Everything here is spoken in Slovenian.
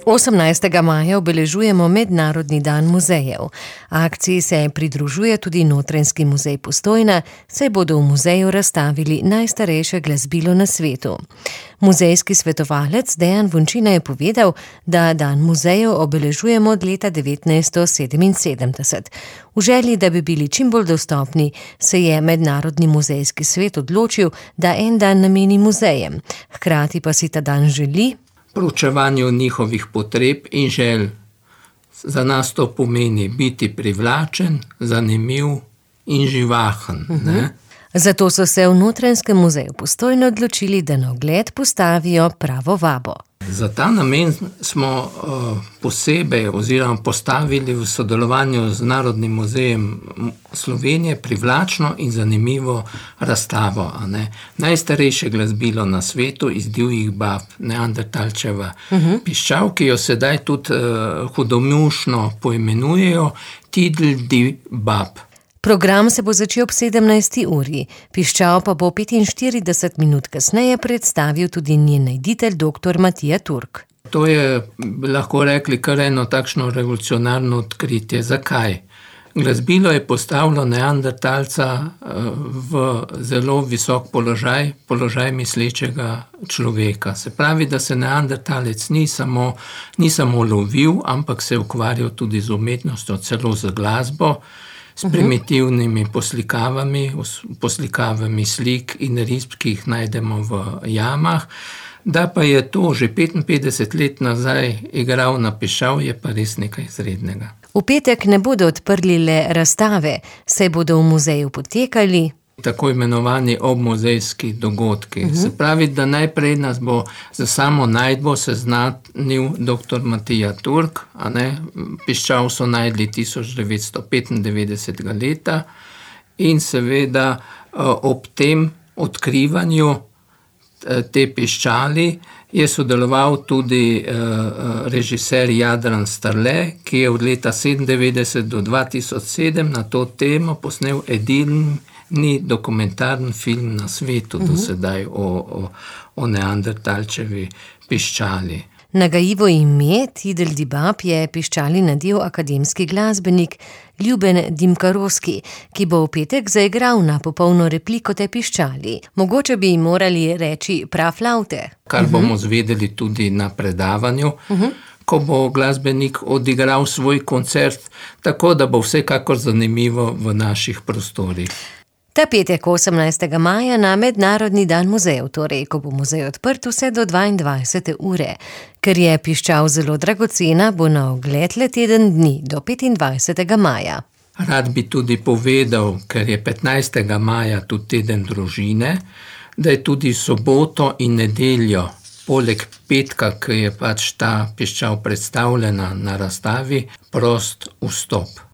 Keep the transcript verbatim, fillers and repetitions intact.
osemnajstega maja obeležujemo Mednarodni dan muzejev. Akciji se pridružuje tudi Notranjski muzej Postojna, saj bodo v muzeju razstavili najstarejše glasbilo na svetu. Muzejski svetovalec Dejan Vončina je povedal, da dan muzejev obeležujemo od leta devetnajststo sedeminsedemdeset. V želji, da bi bili čim bolj dostopni, se je Mednarodni muzejski svet odločil, da en dan nameni muzejem. Hkrati pa si ta dan želi proučevanju njihovih potreb in želj. Za nas to pomeni biti privlačen, zanimiv in živahen. Uh-huh. Ne? Zato so se v Notranjskem muzeju Postojna odločili, da na ogled postavijo pravo vabo. Za ta namen smo uh, posebej oziroma postavili v sodelovanju z Narodnim muzejem Slovenije privlačno in zanimivo razstavo. A ne? Najstarejše glasbilo na svetu iz divjih bab, Neandertalčeva uh-huh. piščal, ki jo sedaj tudi uh, hudomušno poimenujejo Tidl di bab. Program se bo začel ob sedemnajsti uri, piščal pa bo petinštirideset minut kasneje predstavil tudi njen najditelj doktor Matija Turk. To je, lahko rekli, kar eno takšno revolucionarno odkritje. Zakaj? Glasbilo je postavilo Neandertalca v zelo visok položaj, položaj mislečega človeka. Se pravi, da se Neandertalec ni samo, ni samo lovil, ampak se je ukvarjal tudi z umetnostjo, celo z glasbo, s primitivnimi poslikavami, poslikavami slik in risb, ki jih najdemo v jamah. Da pa je to že petinpetdeset let nazaj igral na piščal, je pa res nekaj izrednega. V petek ne bodo odprli le razstave, saj bodo v muzeju potekali tako imenovani obmuzejski dogodki. Uh-huh. Se pravi, da najprej nas bo za samo najdbo seznanil doktor Matija Turk, a ne, piščal so najdli tisoč devetsto petindevetdesetega leta in seveda ob tem odkrivanju te piščali je sodeloval tudi režiser Jadran Starle, ki je od leta sedemindevetdeset do dva tisoč sedem na to temo posnel edini ni dokumentarni film na svetu uh-huh. do sedaj o, o, o Neandertalčevi piščali. Nagajivo ime Tidl di bab je piščali nadel akademski glasbenik Ljuben Dimkarovski, ki bo v petek zaigral na popolno repliko te piščali. Mogoče bi morali reči praflaute. Kar bomo uh-huh. zvedeli tudi na predavanju, uh-huh. ko bo glasbenik odigral svoj koncert, tako da bo vsekakor zanimivo v naših prostorih. Ta petek osemnajstega maja na Mednarodni dan muzejev, torej, ko bo muzej odprt vse do dvaindvajsete ure. Ker je piščal zelo dragocena, bo na ogled le teden dni do petindvajsetega maja. Rad bi tudi povedal, ker je petnajstega maja tudi teden družine, da je tudi soboto in nedeljo, poleg petka, ki je pač ta piščal predstavljena na razstavi, prost vstop.